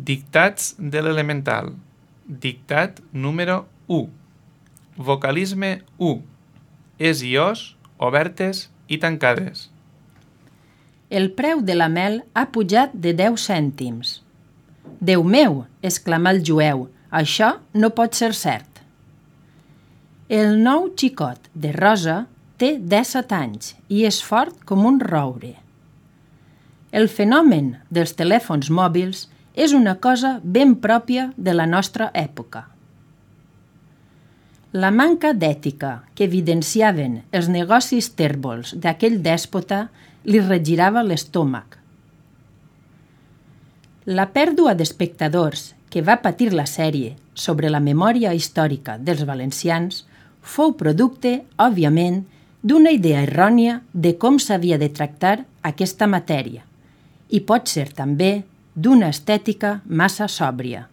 Dictats de l'elemental. Dictat número 1. Vocalisme 1. Es i os, obertes i tancades. El preu de la mel ha pujat de 10 cèntims. Déu meu, exclamà el jueu, això no pot ser cert. El nou xicot de Rosa té 17 anys i és fort com un roure. El fenomen dels telèfons mòbils és una cosa ben pròpia de la nostra època. La manca d'ètica que evidenciaven els negocis tèrbols d'aquell dèspota li regirava l'estómac. La pèrdua d'espectadors que va patir la sèrie sobre la memòria històrica dels valencians fou producte, òbviament, d'una idea errònia de com s'havia de tractar aquesta matèria i pot ser també d'una estètica massa sòbria.